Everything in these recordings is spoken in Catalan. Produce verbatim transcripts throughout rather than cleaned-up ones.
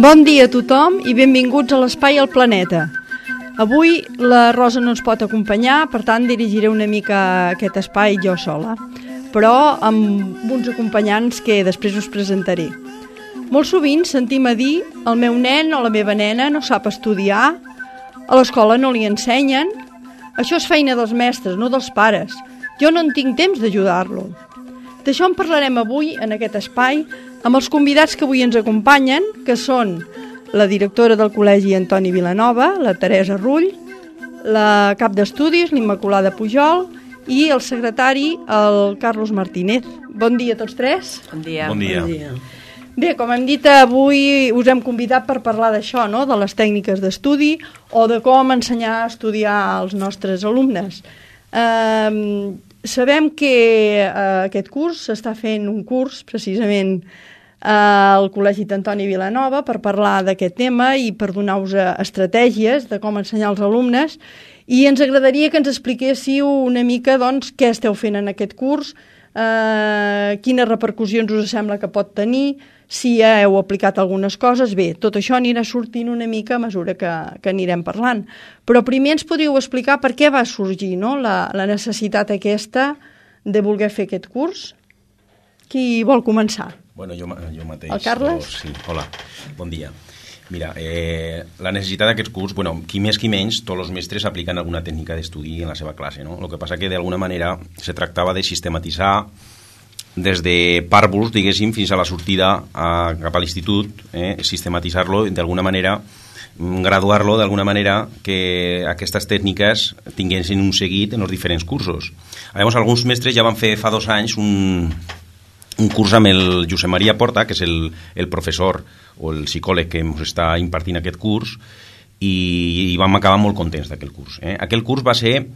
Bon dia a tothom i benvinguts a l'Espai al Planeta. Avui la Rosa no ens pot acompanyar, per tant dirigiré una mica aquest espai jo sola, però amb uns acompanyants que després us presentaré. Molt sovint sentim a dir el meu nen o la meva nena no sap estudiar, a l'escola no li ensenyen, això és feina dels mestres, no dels pares, jo no en tinc temps d'ajudar-lo. D'això en parlarem avui en aquest espai amb els convidats que avui ens acompanyen, que són la directora del Col·legi Antoni Vilanova, la Teresa Rull, la cap d'estudis, l'Immaculada Pujol, i el secretari, el Carlos Martínez. Bon dia a tots tres. Bon dia. Bon dia. Bon dia. Bé, com hem dit, avui us hem convidat per parlar d'això, no?, de les tècniques d'estudi o de com ensenyar a estudiar als nostres alumnes. Eh, sabem que eh, aquest curs s'està fent un curs, precisament, al Col·legi d'Antoni Vilanova per parlar d'aquest tema i per donar-vos estratègies de com ensenyar als alumnes, i ens agradaria que ens expliquéssiu una mica doncs, què esteu fent en aquest curs, eh, quines repercussions us sembla que pot tenir, si ja heu aplicat algunes coses. Bé, tot això anirà sortint una mica a mesura que, que anirem parlant. Però primer ens podríeu explicar per què va sorgir, no?, la, la necessitat aquesta de voler fer aquest curs. Qui vol començar? Bueno, jo, jo mateix. El Carles? O, sí, hola, bon dia. Mira, eh, la necessitat d'aquest curs, bueno, qui més qui menys, tots els mestres apliquen alguna tècnica d'estudi en la seva classe, no? El que passa que d'alguna manera se tractava de sistematitzar des de pàrvuls, diguéssim, fins a la sortida a, cap a l'institut, eh, sistematitzar-lo d'alguna manera, graduar-lo d'alguna manera, que aquestes tècniques tinguessin un seguit en els diferents cursos. Llavors, alguns mestres ja van fer fa dos anys un... un curs amb el Josep Maria Porta, que és el, el professor o el psicòleg que ens està impartint aquest curs, i, i vam acabar molt contents d'aquell curs. Eh? Aquell curs va ser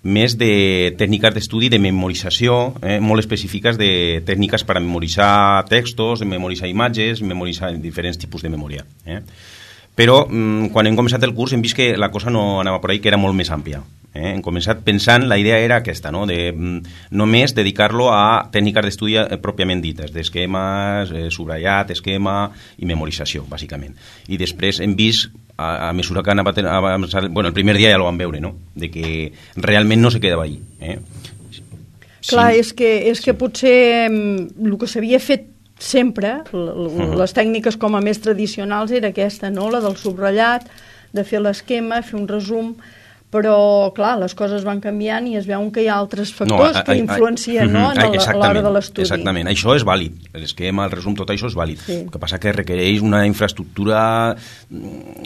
més de tècniques d'estudi de memorització, eh? molt específiques de tècniques per a memoritzar textos, de memoritzar imatges, memoritzar diferents tipus de memòria. Eh? Però mm, quan hem començat el curs hem vist que la cosa no anava per ahí, que era molt més àmplia. Eh? Hem començat pensant, la idea era aquesta, no?, de mm, només dedicar-lo a tècniques d'estudi eh, pròpiament dites, d'esquemes, eh, subratllat, esquema i memorització, bàsicament. I després hem vist, a, a mesura que anava... A, bueno, el primer dia ja ho vam veure, no?, de que realment no se quedava ahí. Eh? Clar, sí. és que, és que potser el que s'havia fet sempre, les tècniques com a més tradicionals era aquesta, no?, la del subratllat, de fer l'esquema, fer un resum, però, clar, les coses van canviant i es veuen que hi ha altres factors no, a, a, que influencien, no, a l'hora de l'estudi. Exactament, això és vàlid, l'esquema, el resum, tot això és vàlid. Sí. El que passa que requereix una infraestructura,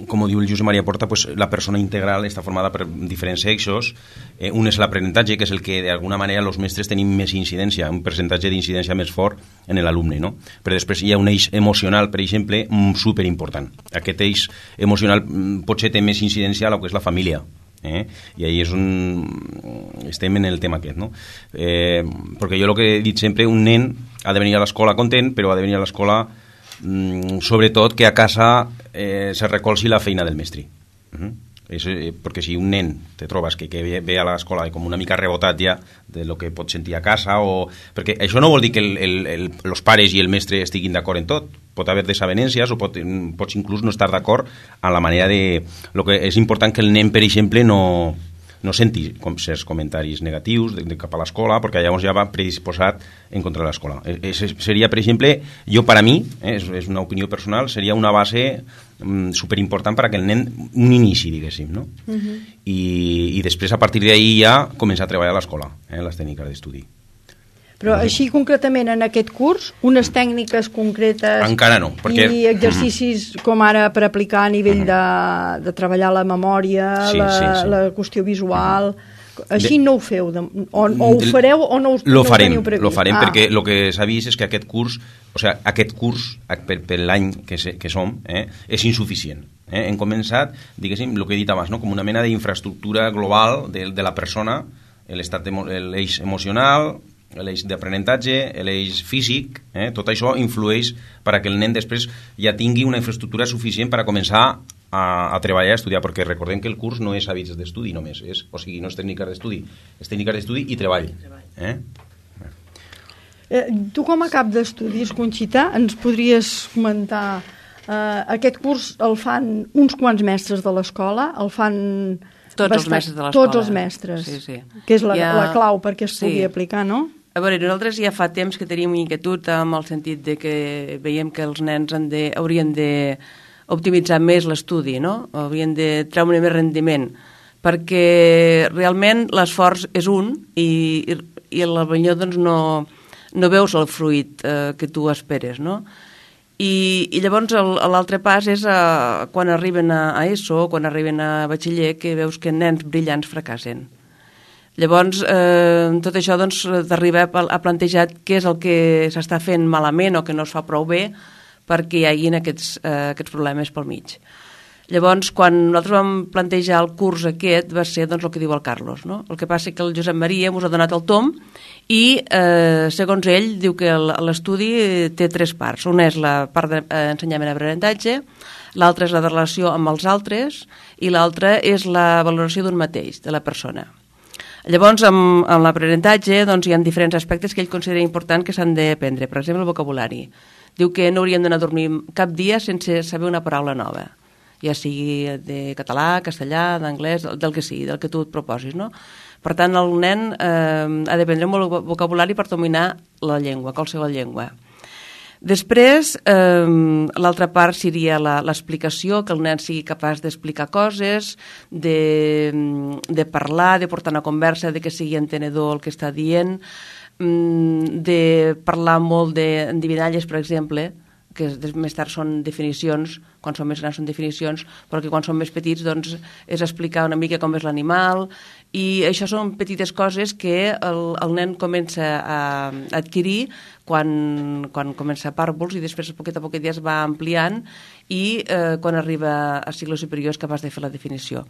com diu el Josep Maria Porta, pues, la persona integral està formada per diferents eixos. Eh, un és l'aprenentatge, que és el que d'alguna manera els mestres tenim més incidència, un percentatge d'incidència més fort en l'alumne, no? Però després hi ha un eix emocional, per exemple, superimportant. Aquest eix emocional potser té més incidència a la que és la família. Eh? I ahí és on estem en el tema aquest, no? Eh, perquè jo el que he dit sempre, un nen ha de venir a l'escola content, però ha de venir a l'escola mm, sobretot que a casa eh, se recolzi la feina del mestre. Uh-huh. És, eh, perquè si un nen te trobes que, que ve, ve a l'escola com una mica rebotat ja de lo que pot sentir a casa, o... perquè això no vol dir que el, el, el, els pares i el mestre estiguin d'acord en tot. Pot haver desavenències o pot, pots inclús no estar d'acord en la manera de... Lo que és important que el nen, per exemple, no, no senti com certs comentaris negatius de, de cap a l'escola, perquè llavors ja va predisposat en contra de l'escola. Es, seria, per exemple, jo per a mi, eh, és, és una opinió personal, seria una base mm, superimportant per a que el nen, un inici, diguéssim, no? Uh-huh. I, I després, a partir d'ahir ja, començar a treballar a l'escola, eh, les tècniques d'estudi. Però així concretament en aquest curs, unes tècniques concretes encara no, perquè... i exercicis uh-huh. com ara per aplicar a nivell uh-huh. de, de treballar la memòria, sí, la, sí, sí. la qüestió visual, uh-huh. Així no ho feu, de, o, o ho fareu o no, us, lo no farem, ho teniu previst? Lo farem ah. perquè el que s'ha vist és que aquest curs, o sigui, aquest curs per, per l'any que, se, que som eh, és insuficient. Eh? Hem començat, diguéssim, el que he dit abans, no? Com una mena d'infraestructura global de, de la persona, l'estat, l'eix emocional, l'eix d'aprenentatge, l'eix físic, eh? Tot això influeix perquè el nen després ja tingui una infraestructura suficient per a començar a, a treballar i a estudiar, perquè recordem que el curs no és hàbits d'estudi només, és, o sigui, no és tècniques d'estudi, és tècniques d'estudi i treball. Eh? Eh, tu com a cap d'estudis, Conxita, ens podries comentar eh, aquest curs el fan uns quants mestres de l'escola, el fan tots bastant, els mestres de l'escola. Tots els mestres, sí, sí. Que és la, ja... la clau perquè es sí. pugui aplicar, no? A veure, nosaltres ja fa temps que tenim inquietud amb el sentit de que veiem que els nens han de, haurien de optimitzar més l'estudi, no? Haurien de treure més rendiment, perquè realment l'esforç és un i, i, i potser doncs, no, no veus el fruit eh, que tu esperes, no? I, i llavors l'altre pas és a, quan arriben a, a ESO, quan arriben a batxiller, que veus que nens brillants fracassen. Llavors, eh, tot això doncs, t'arriba a plantejar què és el que s'està fent malament o que no es fa prou bé perquè hi hagin aquests, eh, aquests problemes pel mig. Llavors, quan nosaltres vam plantejar el curs aquest, va ser doncs, el que diu el Carlos, no? El que passa que el Josep Maria ens ha donat el tom i, eh, segons ell, diu que l'estudi té tres parts. Una és la part d'ensenyament d'aprenentatge, l'altra és la de relació amb els altres i l'altra és la valoració d'un mateix, de la persona. Llavors, amb, amb l'aprenentatge doncs, hi ha diferents aspectes que ell considera important que s'han d'aprendre. Per exemple, el vocabulari. Diu que no hauríem d'anar a dormir cap dia sense saber una paraula nova, ja sigui de català, castellà, d'anglès, del que sigui, del que tu et proposis, no? Per tant, el nen eh, ha d'aprendre molt vocabulari per dominar la llengua, qualsevol llengua. Després, eh, l'altra part seria l'explicació, que el nen sigui capaç d'explicar coses, de, de parlar, de portar una conversa, de que sigui entenedor el que està dient, de parlar molt d'endividalles, per exemple, que més tard són definicions, quan són més grans són definicions, però que quan són més petits doncs, és explicar una mica com és l'animal, i això són petites coses que el, el nen comença a adquirir quan, quan comença a pàrvuls i després a poquet a poquet ja es va ampliant i eh, quan arriba a cicles superiors és capaç de fer la definició.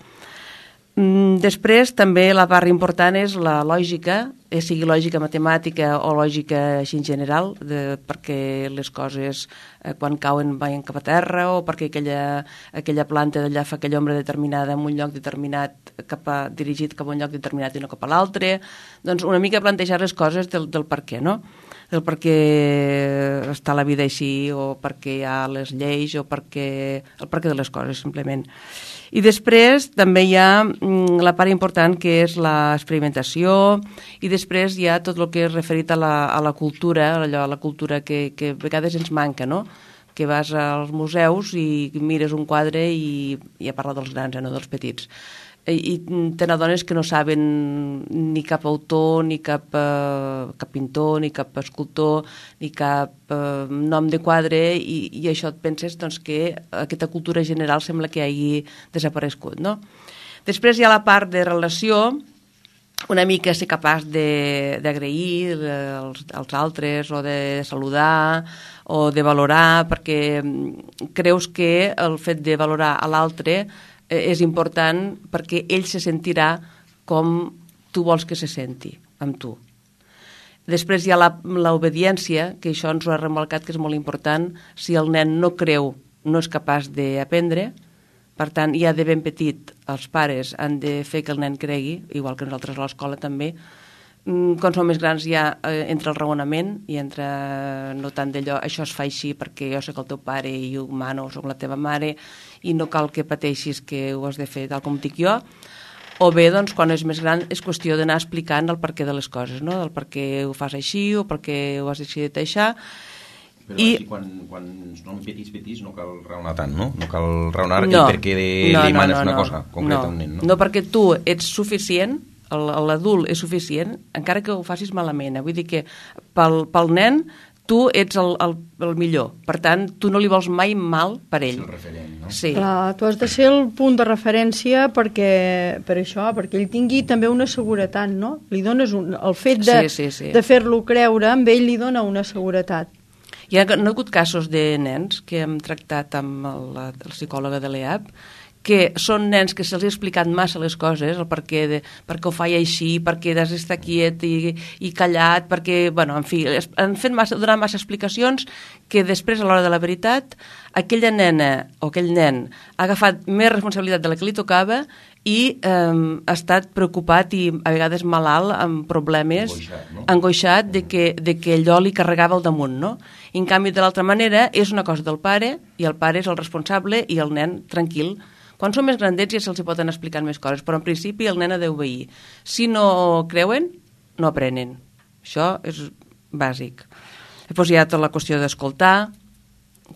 Després, també la part important és la lògica, eh, sigui lògica matemàtica o lògica així en general, de, perquè les coses eh, quan cauen van cap a terra o perquè aquella, aquella planta d'allà fa aquella ombra determinada en un lloc determinat cap a, dirigit cap a un lloc determinat i no cap a l'altre. Doncs una mica plantejar les coses del, del per què, no? Del per què està la vida així o per què hi ha les lleis o per què, el per què de les coses, simplement. I després també hi ha mm, la part important que és l'experimentació i després hi ha tot el que és referit a la, a la cultura, allò, a la cultura que, que a vegades ens manca, no? Que vas als museus i mires un quadre i, i a parlar dels grans, eh, no dels petits. I, i te n'adones que no saben ni cap autor, ni cap, eh, cap pintor, ni cap escultor, ni cap eh, nom de quadre i, i això et penses doncs, que aquesta cultura general sembla que hagi desaparegut, no? Després hi ha la part de relació, una mica ser capaç d'agrair als, als altres o de saludar o de valorar, perquè creus que el fet de valorar a l'altre és important perquè ell se sentirà com tu vols que se senti amb tu. Després hi ha l'obediència, que això ens ho ha remarcat que és molt important. Si el nen no creu, no és capaç d'aprendre, per tant, ja de ben petit els pares han de fer que el nen cregui, igual que nosaltres a l'escola també. Quan som més grans ja eh, entra el raonament i entra no tant d'allò, això es fa així perquè jo soc el teu pare i ho mano, soc la teva mare i no cal que pateixis que ho has de fer tal com dic jo. O bé, doncs, quan és més gran és qüestió d'anar explicant el perquè de les coses, no? El per què ho fas així o per què ho has decidit això. Però I... així, quan, quan són petits, petits, no cal raonar tant, no? No cal raonar no, i perquè de, no, li manes no, no, una cosa concreta no, a un nen, no? No, perquè tu ets suficient, l'adult és suficient, encara que ho facis malament. Eh? Vull dir que pel, pel nen tu ets el, el, el millor. Per tant, tu no li vols mai mal per ell. És el referent, no? Sí. Clar, tu has de ser el punt de referència perquè, per això, perquè ell tingui també una seguretat, no? Li dones un, el fet de, sí, sí, sí. de fer-lo creure, amb ell li dona una seguretat. Hi ha, no ha hagut casos de nens que hem tractat amb el, la, la psicòloga de l'E A P que són nens que se'ls ha explicat massa les coses, el per què, de, per què ho faig així, per què has d'estar quiet i, i callat, perquè, bueno, en fi, han fet massa, donat massa explicacions que després, a l'hora de la veritat, aquella nena o aquell nen ha agafat més responsabilitat de la que li tocava i eh, ha estat preocupat i a vegades malalt amb problemes, angoixat, no? angoixat de que, de que allò li carregava al damunt, no? I en canvi, de l'altra manera, és una cosa del pare i el pare és el responsable i el nen tranquil. Quan són més grandets ja se'ls poden explicar més coses, però en principi el nen ha d'obeir. Si no creuen, no aprenen. Això és bàsic. Després hi ha tota la qüestió d'escoltar,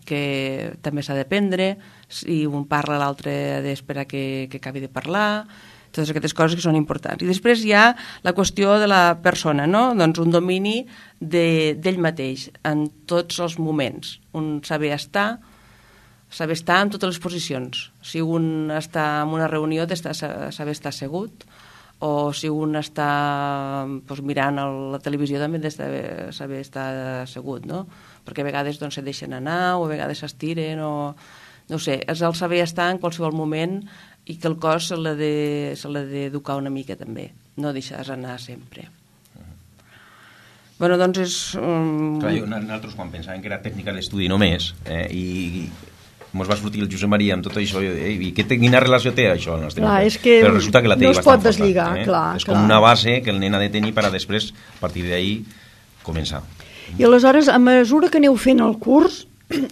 que també s'ha d'aprendre. Si un parla, l'altre ha d'esperar que, que acabi de parlar. Totes aquestes coses que són importants. I després hi ha la qüestió de la persona, no? Doncs un domini de, d'ell mateix en tots els moments. Un saber estar, saber estar en totes les posicions. Si un està en una reunió, d'estar, saber estar assegut, o si un està doncs, mirant la televisió, també ha de saber estar assegut, no? Perquè a vegades doncs, se deixen anar, o a vegades s'estiren, o... no ho sé, és el saber estar en qualsevol moment i que el cos se l'ha de, se l'ha d'educar una mica també, no deixar-se anar sempre. Bueno, doncs és... Um... Clar, jo, nosaltres quan pensàvem que era tècnica d'estudi només, eh, i, i mos va sortir el Josep Maria amb tot això, eh, i què, quina relació té això al nostre clar, és que però resulta que la té no es bastant pot deslligar, forta, eh? clar, és clar. com una base que el nen ha de tenir per a després, a partir d'ahí, començar. I aleshores, a mesura que aneu fent el curs,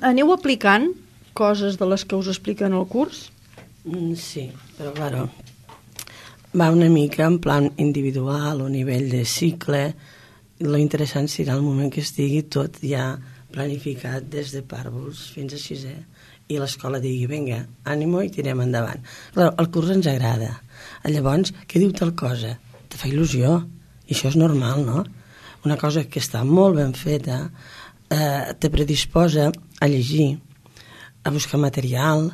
aneu aplicant coses de les que us expliquen al curs? Mm, sí, però claro, va una mica en plan individual o nivell de cicle. Lo interessant serà el moment que estigui tot ja planificat des de pàrvuls fins a sisè i l'escola digui, vinga, ànimo i tirem endavant. Claro, el curs ens agrada. Llavors, què diu tal cosa? Te fa il·lusió. I això és normal, no? Una cosa que està molt ben feta eh, te predisposa a llegir, a buscar material,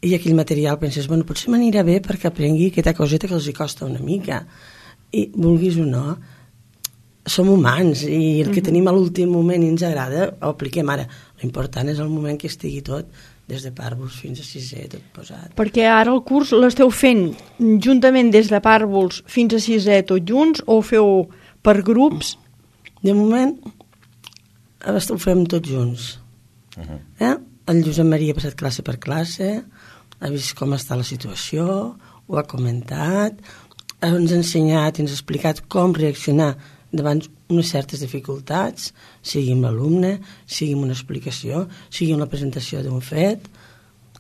i aquell material penses, bueno, potser m'anirà bé perquè aprengui aquesta coseta que els hi costa una mica. I vulguis o no, som humans i el que mm-hmm. tenim a l'últim moment i ens agrada ho apliquem ara. L'important és el moment que estigui tot des de pàrvuls fins a sisè, tot posat. Perquè ara el curs l'esteu fent juntament des de pàrvuls fins a sisè tot junts o ho feu per grups? De moment ho fem tots junts. Uh-huh. Eh? El Josep Maria ha passat classe per classe, ha vist com està la situació, ho ha comentat, ens ha ensenyat i ens ha explicat com reaccionar davant unes certes dificultats, sigui amb l'alumne, sigui amb una explicació, sigui amb la presentació d'un fet.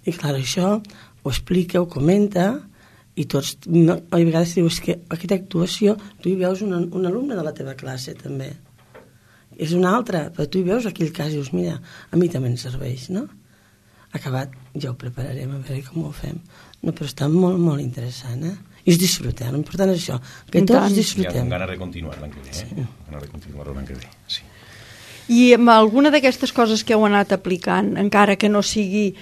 I clar, això ho explica, ho comenta, i tots, a vegades dius que aquesta actuació, tu hi veus un, un alumne de la teva classe també. És una altra, però tu hi veus aquell cas i dius, mira, a mi també em serveix, no? Acabat, ja ho prepararem a veure com ho fem. No, però està molt, molt interessant, eh? I es disfrutem, l'important és això, que tots disfrutem. I amb ganes de continuar l'any que ve, eh? Sí. Ganes de continuar l'any que ve, sí. I amb alguna d'aquestes coses que heu anat aplicant, encara que no sigui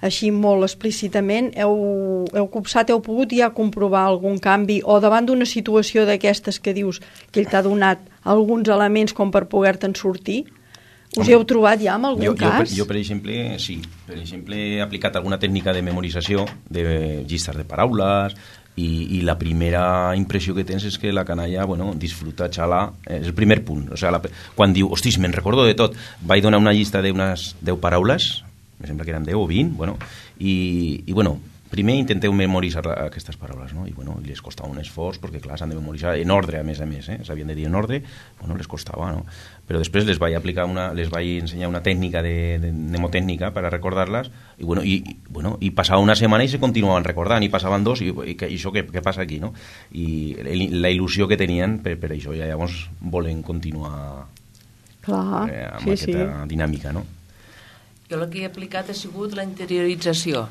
així molt explícitament, heu, heu copsat, heu pogut ja comprovar algun canvi o davant d'una situació d'aquestes que dius que ell t'ha donat alguns elements com per poder-te'n sortir? Us hi heu trobat ja en algun jo, cas? Jo, jo, per exemple, sí. Per exemple, he aplicat alguna tècnica de memorització de llistes de paraules i, i la primera impressió que tens és que la canalla, bueno, disfruta, xala, és el primer punt. O sigui, la, quan diu, hostis, me'n recordo de tot, vaig donar una llista d'unes deu paraules, em sembla que eren deu o vint, bueno, i, i bueno, primer intenteu memoritzar aquestes paraules, no? I bueno, les costava un esforç, perquè clar, s'han de memoritzar en ordre, a més a més, eh? S'havien de dir en ordre, bueno, les costava, no? Però després les vaig aplicar una, les vaig ensenyar una tècnica de, de mnemotècnica per a recordar-les, i bueno, i, bueno, i passava una setmana i se continuaven recordant, i passaven dos, i, i, i això què, què passa aquí, no? I la il·lusió que tenien per, per això, ja llavors volen continuar clar, eh, amb sí, aquesta sí. dinàmica, no? Jo el que he aplicat ha sigut la interiorització,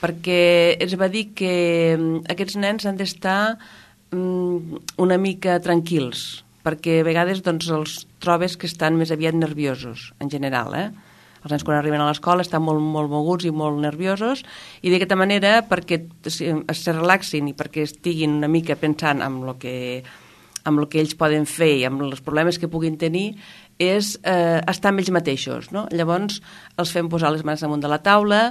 perquè es va dir que aquests nens han d'estar um, una mica tranquils, perquè a vegades doncs, els, trobes que estan més aviat nerviosos, en general, eh? Els nens quan arriben a l'escola estan molt, molt moguts i molt nerviosos, i d'aquesta manera, perquè es relaxin i perquè estiguin una mica pensant en el que, en el que ells poden fer i en els problemes que puguin tenir, és eh, estar amb ells mateixos, no? Llavors els fem posar les mans damunt de la taula,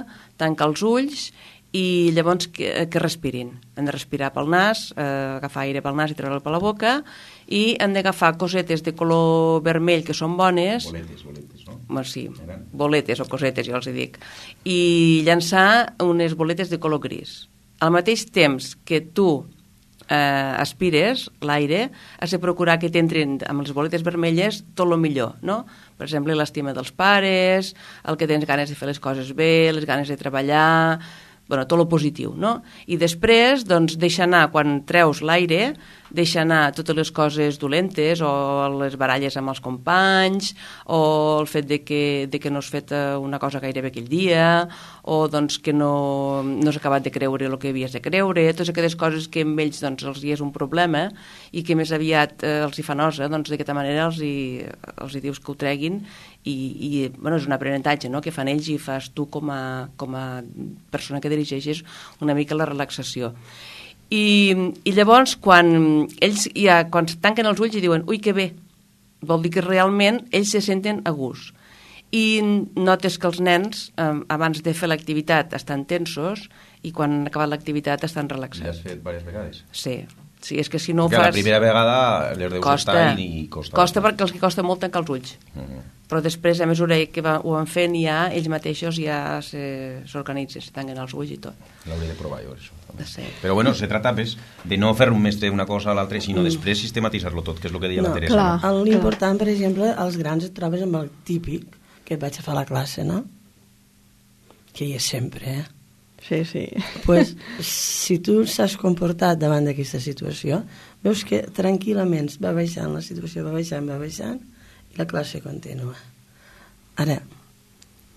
tancar els ulls i llavors que, que respirin. Han de respirar pel nas, eh, agafar aire pel nas i treure'l per la boca, i han d'agafar cosetes de color vermell que són bones. Boletes, boletes, no? Bueno, sí, boletes o cosetes, jo els hi dic. I llançar unes boletes de color gris. Al mateix temps que tu eh, aspires l'aire, has de procurar que t'entrin amb les boletes vermelles tot el millor, no? Per exemple, l'estima dels pares, el que tens ganes de fer les coses bé, les ganes de treballar, bueno, tot el positiu, no? I després, doncs, deixa anar, quan treus l'aire, deixa anar totes les coses dolentes o les baralles amb els companys o el fet de que, de que no has fet una cosa gairebé aquell dia o doncs, que no, no has acabat de creure el que havies de creure, totes aquelles coses que amb ells doncs, els hi és un problema i que més aviat eh, els hi fa nosa, doncs d'aquesta manera els hi, els hi dius que ho treguin i, i bueno, és un aprenentatge, no?, que fan ells i fas tu com a, com a persona que dirigeixes una mica la relaxació. I, i llavors quan ells ja, quan tanquen els ulls i diuen ui que bé, vol dir que realment ells se senten a gust i notes que els nens eh, abans de fer l'activitat estan tensos i quan han acabat l'activitat estan relaxats. L'has fet diverses vegades? Sí, sí, és que si no ho fas... fas... la primera vegada les deus costa, estar i costa. Costa perquè els que costa molt tancar els ulls. Uh -huh. Però després, a mesura que va, ho van fent, ja ells mateixos ja s'organitzen, se, se tanquen els ulls i tot. L'hauré de provar jo, això. Sí. Però bueno, se trata pues, de no fer més d'una cosa a l'altra, sinó mm. després sistematitzar-lo tot, que és el que deia no, la Teresa. Clar, no? L'important, per exemple, als grans et trobes amb el típic que et vaig a fer a la classe, no? Que hi és sempre, eh? Sí, sí. Pues, si tu s'has comportat davant d'aquesta situació, veus que tranquil·lament va baixant, la situació va baixant, va baixant, i la classe continua. Ara,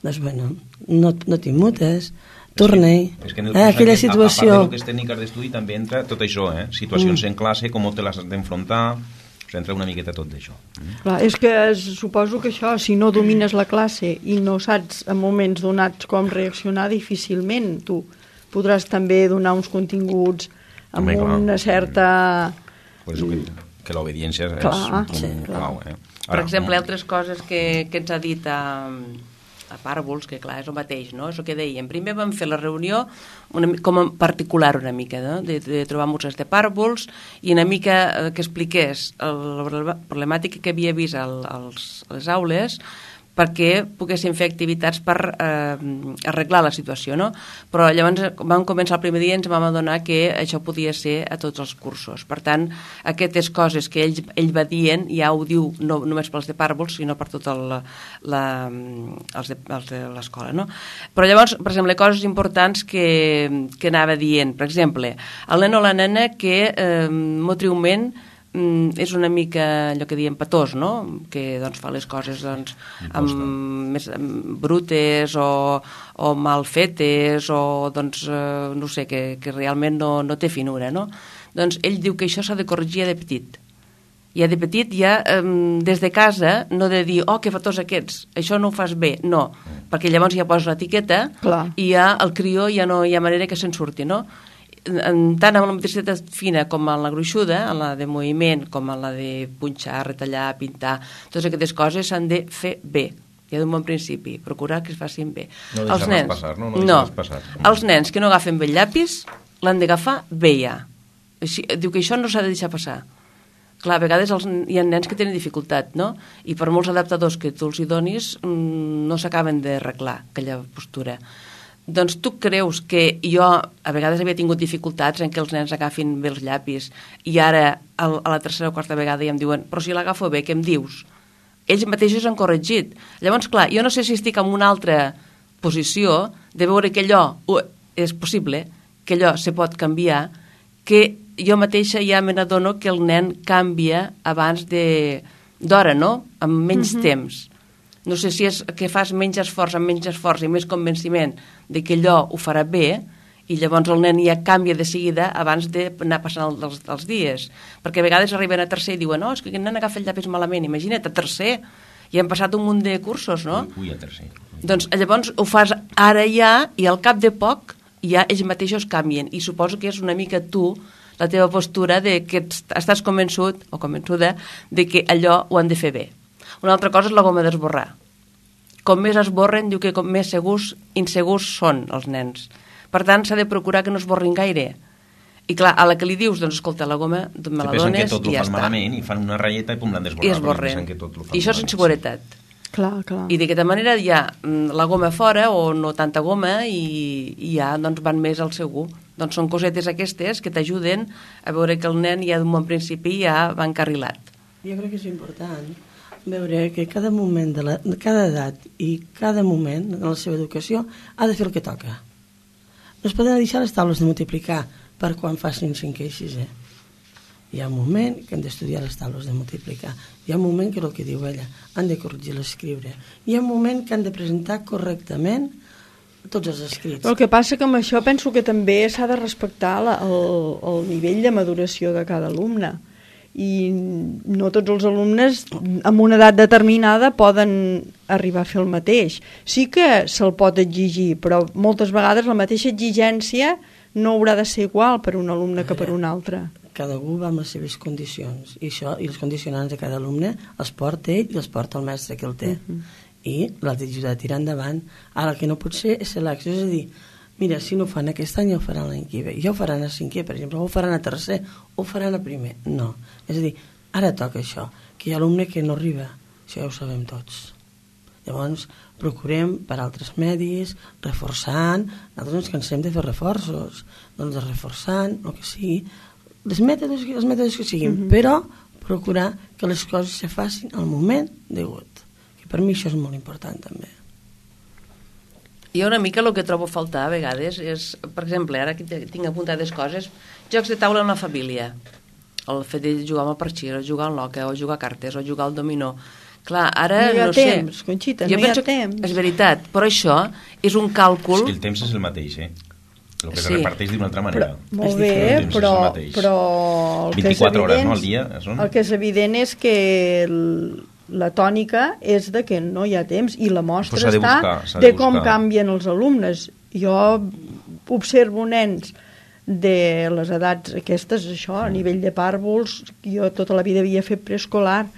doncs bueno, no, no t'immutes, torna-hi. És que en el eh, aquella situació... A, a part de les tècniques d'estudi també entra tot això, eh? Situacions mm. en classe, com te les has d'enfrontar, o sigui, entra una miqueta tot d'això. Mm. Clar, és que suposo que això, si no domines la classe i no saps en moments donats com reaccionar, difícilment tu podràs també donar uns continguts amb també, clar, una certa... Per això que, que l'obediència és clar, un sí, clau, eh? Per Ara, exemple, altres coses que, que ens ha dit a, a Pàrvols, que clar, és el mateix, no? És el que dèiem. Primer vam fer la reunió una, com a particular una mica, no? de, de trobar musses de Pàrvols i una mica eh, que expliqués el, la problemàtica que havia vist al, als, a les aules perquè poguessin fer activitats per eh, arreglar la situació, no? Però llavors vam començar el primer dia i ens vam adonar que això podia ser a tots els cursos. Per tant, aquestes coses que ell, ell va dient ja ho diu no només pels de Pàrvols, sinó per tot el, la, els de, els de l'escola, no? Però llavors, per exemple, coses importants que, que anava dient. Per exemple, el nen o la nena que eh, motriument és una mica allò que diem patós, no? Que doncs, fa les coses doncs, amb, més amb brutes o, o mal fetes o doncs, eh, no sé, que, que realment no, no té finura, no? Doncs ell diu que això s'ha de corregir de petit. Ja de petit, ja eh, des de casa, no de dir, oh, que fatós aquests, això no ho fas bé, no, perquè llavors ja poses l'etiqueta i ja el crió ja no hi ha manera que se'n surti, no? Tant amb la motricitat fina com en la gruixuda, en la de moviment, com en la de punxar, retallar, pintar, totes aquestes coses s'han de fer bé, ja d'un bon principi, procurar que es facin bé. No deixar-les passar, no? No, no. passar. Els nens que no agafen bé el llapis l'han d'agafar bé ja. Així, diu que això no s'ha de deixar passar. Clar, a vegades els, hi ha nens que tenen dificultat, no? I per molts adaptadors que tu els hi donis no s'acaben d'arreglar aquella postura. Doncs tu creus que jo a vegades havia tingut dificultats en que els nens agafin bé els llapis i ara a la tercera o quarta vegada ja em diuen però si l'agafo bé, què em dius? Ells mateixos han corregit. Llavors, clar, jo no sé si estic en una altra posició de veure que allò és possible, que allò se pot canviar, que jo mateixa ja me n'adono que el nen canvia abans d'hora, no? Amb menys mm-hmm. temps. No sé si és que fas menys esforç amb menys esforç i més convenciment de que allò ho farà bé i llavors el nen ja canvia de seguida abans d'anar passant els, els dies, perquè a vegades arriben a tercer i diuen, no, és que aquest nen agafa el llapis malament, imagina't, a tercer, i han passat un munt de cursos, no? Ui, a tercer. Doncs llavors ho fas ara ja, i al cap de poc ja ells mateixos canvien, i suposo que és una mica tu, la teva postura de que estàs convençut o convençuda de que allò ho han de fer bé. Una altra cosa és la goma d'esborrar. Com més esborren, diu que com més segurs, insegurs són els nens. Per tant, s'ha de procurar que no esborrin gaire. I clar, a la que li dius, doncs escolta, la goma me la dones i ja està. Que pensen que tot ho fan malament i fan una ratlleta i pum, l'han d'esborrar. I esborren. I això és inseguretat. Clar, clar. I d'aquesta manera ja la goma fora o no tanta goma i, i ja doncs, van més al segur. Doncs són cosetes aquestes que t'ajuden a veure que el nen ja d'un bon principi ja va encarrilat. Jo crec que és important veure que cada moment de, la, de cada edat i cada moment en la seva educació ha de fer el que toca. No es poden deixar les taules de multiplicar per quan facin cinquè i sisè. Hi ha un moment que han d'estudiar les taules de multiplicar. Hi ha un moment que és el que diu ella, han de corregir l'escriure. Hi ha un moment que han de presentar correctament tots els escrits. El que passa que amb això penso que també s'ha de respectar la, el, el nivell de maduració de cada alumne. I no tots els alumnes amb una edat determinada poden arribar a fer el mateix. Sí que se'l pot exigir, però moltes vegades la mateixa exigència no haurà de ser igual per un alumne que per un altre. Cada un va amb les seves condicions i, això, i els condicionants de cada alumne els porta ell i els porta el mestre que el té. Uh -huh. I l'ha d'ajudar a tirar endavant. Ara el que no pot ser és selecció, és a dir, mira, si no ho fan aquest any, ja ho faran l'any que ve, ja ho faran a cinquè, per exemple, o ho faran a tercer, o ho faran a primer. No, és a dir, ara toca això, que hi ha alumne que no arriba, això ja ho sabem tots. Llavors, procurem per altres medis, reforçant, nosaltres ens cansem de fer reforços, doncs reforçant, el que sigui, les mètodes, els mètodes que siguin, uh-huh. però procurar que les coses se facin al moment degut. Per mi això és molt important també. Jo una mica el que trobo a faltar a vegades és, per exemple, ara que tinc apuntades coses, jocs de taula en la família, el fet de jugar amb el parxir, o jugar al loca, o jugar a cartes, o jugar al dominó. Clar, ara no hi ha no temps, sé. Conxita, jo no hi ha que, temps. És veritat, però això és un càlcul... És que el temps és el mateix, eh? El que sí. se reparteix d'una altra manera. Però, molt bé, però, però el vint-i-quatre que és evident, hores, no, al dia? Són... El que és evident és que el, la tònica és de que no hi ha temps i la mostra pues està buscar, de, de com canvien els alumnes. Jo observo nens de les edats aquestes, això, a nivell de pàrvuls, jo tota la vida havia fet preescolar,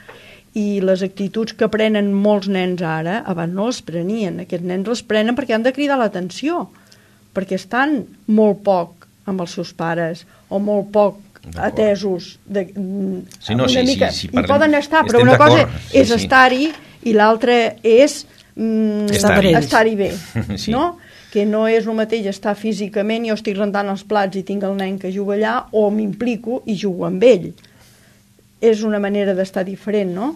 i les actituds que prenen molts nens ara, abans no les prenien. Aquests nens les prenen perquè han de cridar l'atenció, perquè estan molt poc amb els seus pares, o molt poc atesos de, sí, no, una sí, mica, sí, sí, hi poden estar, però una cosa sí, és sí. estar-hi i l'altra és mm, estar-hi estar bé, sí. no? Que no és el mateix estar físicament, jo estic rentant els plats i tinc el nen que juga allà, o m'implico i jugo amb ell. És una manera d'estar diferent, no?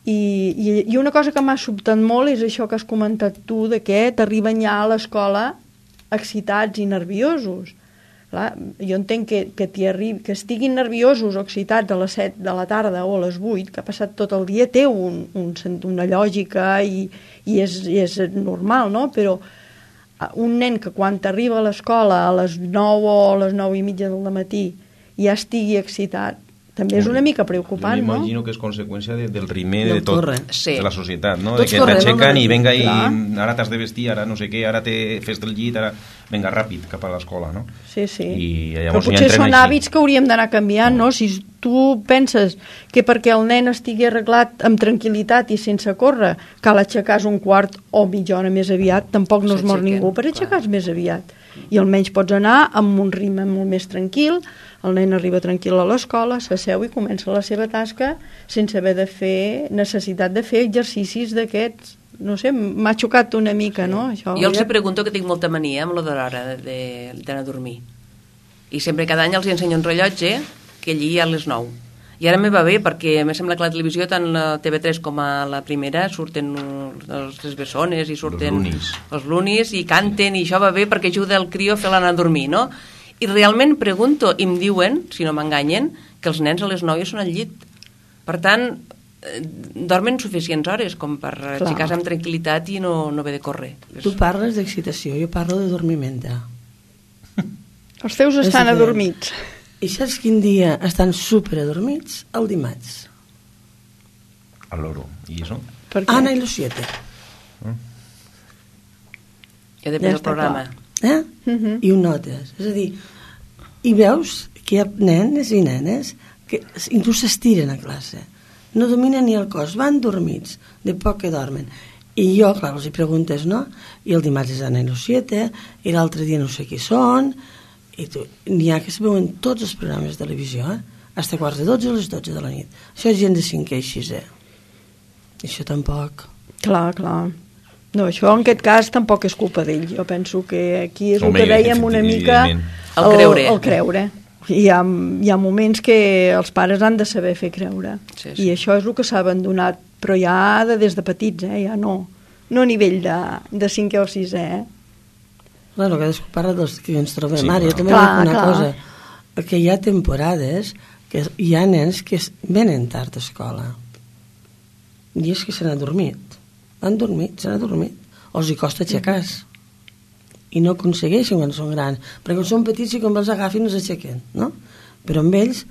I, i, i una cosa que m'ha sobtat molt és això que has comentat tu, de que t'arriben ja a l'escola excitats i nerviosos. Clar, jo entenc que, que, arribi, que estiguin nerviosos o excitats a les set de la tarda o a les vuit, que ha passat tot el dia, té un, un, una lògica i, i, és, i és normal, no? Però un nen que quan arriba a l'escola a les nou o a les nou i mitja del matí ja estigui excitat, també és una mica preocupant, no? M'imagino que és conseqüència de, del ritme de, tot, sí. de la societat, no? Tots de que t'aixequen i venga, i clar. Ara t'has de vestir, ara no sé què, ara te fes del llit, ara venga ràpid cap a l'escola, no? Sí, sí. I però potser són hàbits que hauríem d'anar canviant, no? Si tu penses que perquè el nen estigui arreglat amb tranquil·litat i sense córrer cal aixecar-se un quart o mitja hora més aviat, tampoc no es mor ningú per aixecar-se més aviat. I almenys pots anar amb un ritme molt més tranquil, el nen arriba tranquil a l'escola, s'asseu i comença la seva tasca sense haver de fer, necessitat de fer exercicis d'aquests. No sé, m'ha xocat una mica, no? Això, jo els ja... pregunto que tinc molta mania amb la de l'hora d'anar a dormir. I sempre cada any els ensenyo un rellotge que allí a les nou. I ara me va bé perquè a més sembla que la televisió, tant la T V tres com a la primera, surten les bessones i surten els lunis. els lunis i canten, i això va bé perquè ajuda el crió a fer l'anar a dormir, no? I realment pregunto, i em diuen, si no m'enganyen, que els nens a les nou ja són al llit. Per tant, dormen suficients hores com per aixecar-se amb tranquil·litat i no, no haver de córrer. Tu parles d'excitació, jo parlo de dormimenta. Els teus estan adormits. I saps quin dia estan super adormits? El dimarts. Al loro. I això? Ana i los siete. Mm. Ja depèn del programa. Eh? Uh-huh. I ho notes. És a dir, i veus que hi ha nens i nenes que inclús s'estiren a classe. No dominen ni el cos, van dormits, de poc que dormen. I jo, clar, els hi preguntes, no? I el dimarts és Ana i los siete, i l'altre dia no sé qui són, i tu, n'hi ha que es veuen tots els programes de televisió, eh? Hasta quarts de dotze a les dotze de la nit. Això és gent de cinquè i sisè. Això tampoc. Clar, clar. No, això en aquest cas tampoc és culpa d'ell. Jo penso que aquí és el Home, que dèiem una mica... El creure. El creure. Hi ha, hi ha moments que els pares han de saber fer creure. Sí, sí. I això és el que s'ha abandonat, però ja de, des de petits, eh? Ja no. No a nivell de, de cinquè o sisè, eh? Bueno, cadascú parla dels que ens trobem. Sí, Ara, clar. jo també Clar, dic una clar. cosa, que hi ha temporades que hi ha nens que es- venen tard a escola i és que s'han adormit. Han dormit, s'han adormit. O els hi costa aixecar-se. I no aconsegueixen quan són grans. Perquè quan són petits i quan els agafin no s'aixequen, no? Però amb ells,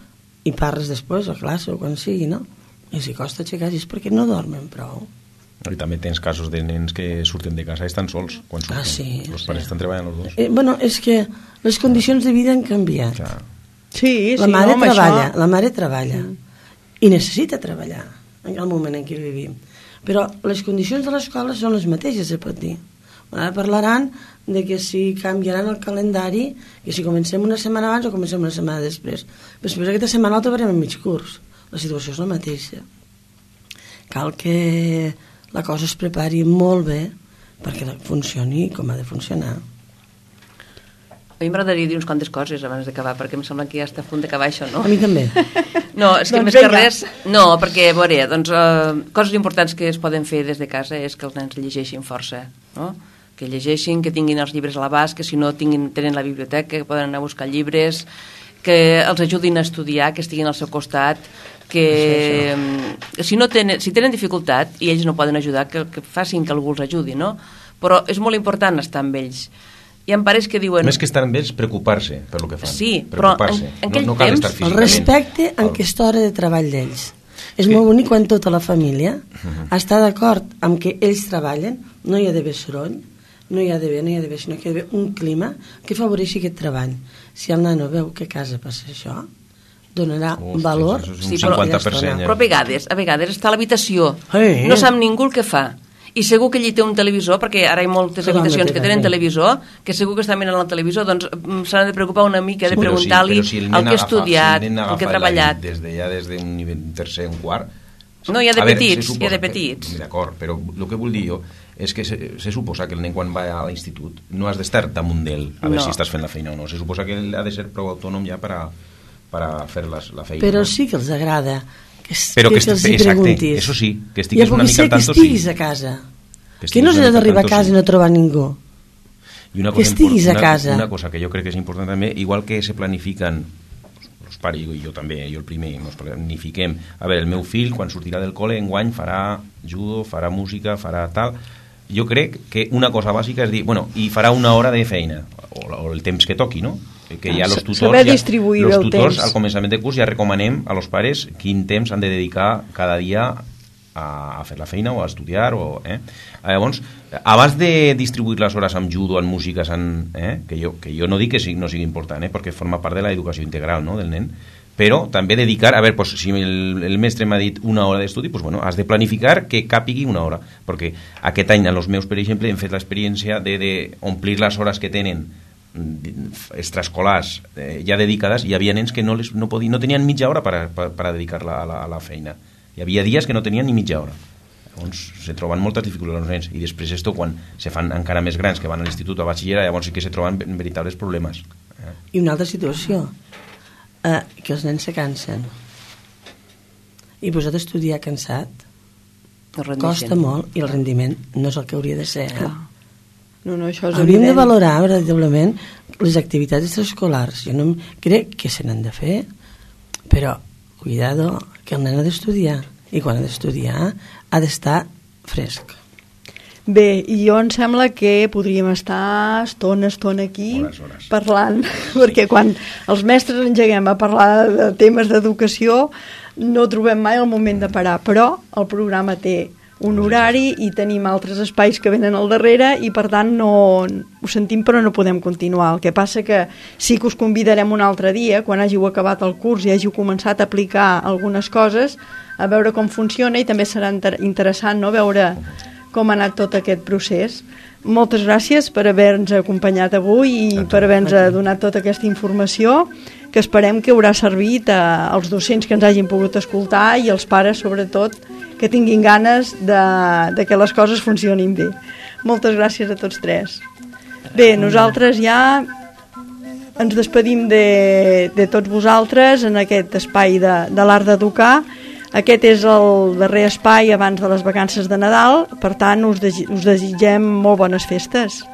i parles després a classe o quan sigui, no? I els hi costa aixecar-se és perquè no dormen prou. I també tens casos de nens que surten de casa i estan sols quan surten. Ah, sí, Els sí. pares estan treballant els dos. Eh, bueno, és que les condicions de vida han canviat. Clar. Sí, La sí, mare no, amb treballa, això... la mare treballa i necessita treballar en el moment en què vivim. Però les condicions de l'escola són les mateixes, se pot dir. Ara parlaran de que si canviaran el calendari, que si comencem una setmana abans o comencem una setmana després. Però després aquesta setmana la trobarem en mig curs. La situació és la mateixa. Cal que la cosa es prepari molt bé perquè funcioni com ha de funcionar. A mi m'agradaria dir uns quantes coses abans d'acabar, perquè em sembla que ja està a punt d'acabar això, no? A mi també. No, és que Doncs més que vinga. res... No, perquè, a veure, doncs, eh, coses importants que es poden fer des de casa és que els nens llegeixin força, no? Que llegeixin, que tinguin els llibres a l'abast, que si no tinguin, tenen la biblioteca, que poden anar a buscar llibres, que els ajudin a estudiar, que estiguin al seu costat, que mm, si no tenen, si tenen dificultat i ells no poden ajudar, que, que facin que algú els ajudi, no? Però és molt important estar amb ells. Hi ha pares que diuen... Més que estar amb ells, preocupar-se per lo que fan. Sí, però en, en aquell no, no cal temps... estar El físicament. respecte en El- aquesta hora de treball d'ells. És Sí. molt bonic quan tota la família està d'acord amb que ells treballen, no hi ha d'haver soroll, no hi ha d'haver, no hi ha d'haver, sinó que hi ha d'haver un clima que afavoreixi aquest treball. Si el nano veu que a casa passa això, donarà Ostres, valor. això és un Sí, però- cinquanta per cent. Però a vegades, a vegades està a l'habitació, Eh. no sap ningú el que fa, i segur que allí té un televisor, perquè ara hi ha moltes Però habitacions no té que tenen res. televisor, que segur que està mirant el televisor, doncs mm, s'han de preocupar una mica de Sí, però si- preguntar-li però si el el nen que ha agafa- estudiat, si el, nen el que ha agafa treballat. l'hàbit Des de, ja des d'un nivell tercer, un quart... No, hi ha de A veure, petits, se hi ha de suposa que- petits. D'acord, però el que vull dir jo és que se, se suposa que el nen quan va a l'institut no has d'estar damunt d'ell a veure No. si estàs fent la feina o no. Se suposa que ell ha de ser prou autònom ja per a, per a fer les, la feina. Però no? sí que els agrada que, Però que que, els est- hi exacte, preguntis. eso sí, que I estiguis ja una pugui mica ser al que tanto, estiguis sí. a casa. Que Que no estiguis s'ha una mica d'arribar a al casa tanto, i no trobar ningú. I una que cosa estiguis impor- a una, casa. Una cosa que jo crec que és important també, igual que se planifiquen els pares, i jo també, jo el primer, ens planifiquem, a veure, el meu fill quan sortirà del col·le enguany farà judo, farà música, farà tal... Jo crec que una cosa bàsica és dir, bueno, i farà una hora de feina, o, o el temps que toqui, no? Que ja Ah, los sa- tutors, saber ja, distribuir los el tutors temps. al començament de curs ja recomanem a los pares quin temps han de dedicar cada dia a, a fer la feina o a estudiar o, eh? Llavors, abans de distribuir les hores amb judo, en músiques en, eh? que, jo, que jo no dic que sigui, no sigui important, eh? perquè forma part de l'educació integral, no? del nen, però també dedicar, a veure, pues, si el, el mestre m'ha dit una hora d'estudi, pues, bueno, has de planificar que càpigui una hora, perquè aquest any als meus, per exemple, hem fet l'experiència de, de omplir les hores que tenen extraescolars eh, ja dedicades. Hi havia nens que no, les, no, podien, no tenien mitja hora per a, per, per a dedicar-la a, la, a la feina. Hi havia dies que no tenien ni mitja hora. Llavors se troben moltes dificultats els nens, i després esto quan se fan encara més grans, que van a l'institut o a batxillerat, llavors sí que se troben veritables problemes. Eh? I una altra situació, eh, que els nens se cansen. I posat a estudiar cansat No rendeixen. costa molt i el rendiment no és el que hauria de ser. Eh? Clar. No, no, això és Hauríem de evident. valorar veritablement les activitats extraescolars. Jo no em- crec que se n'han de fer, però cuidado, que el nen ha d'estudiar, i quan ha d'estudiar ha d'estar fresc. Bé, i jo em sembla que podríem estar estona, estona aquí hores, hores. parlant, perquè quan els mestres engeguem a parlar de temes d'educació no trobem mai el moment de parar, però el programa té un horari i tenim altres espais que venen al darrere i per tant no ho sentim però no podem continuar. El que passa que sí que us convidarem un altre dia, quan hàgiu acabat el curs i hàgiu començat a aplicar algunes coses, a veure com funciona i també serà inter interessant no? Veure com ha anat tot aquest procés. Moltes gràcies per haver-nos acompanyat avui i per haver-nos donat tota aquesta informació que esperem que haurà servit als docents que ens hagin pogut escoltar i als pares sobretot que tinguin ganes de, de que les coses funcionin bé. Moltes gràcies a tots tres. Bé, nosaltres ja ens despedim de, de tots vosaltres en aquest espai de, de l'art d'educar. Aquest és el darrer espai abans de les vacances de Nadal, per tant us, de, us desitgem molt bones festes.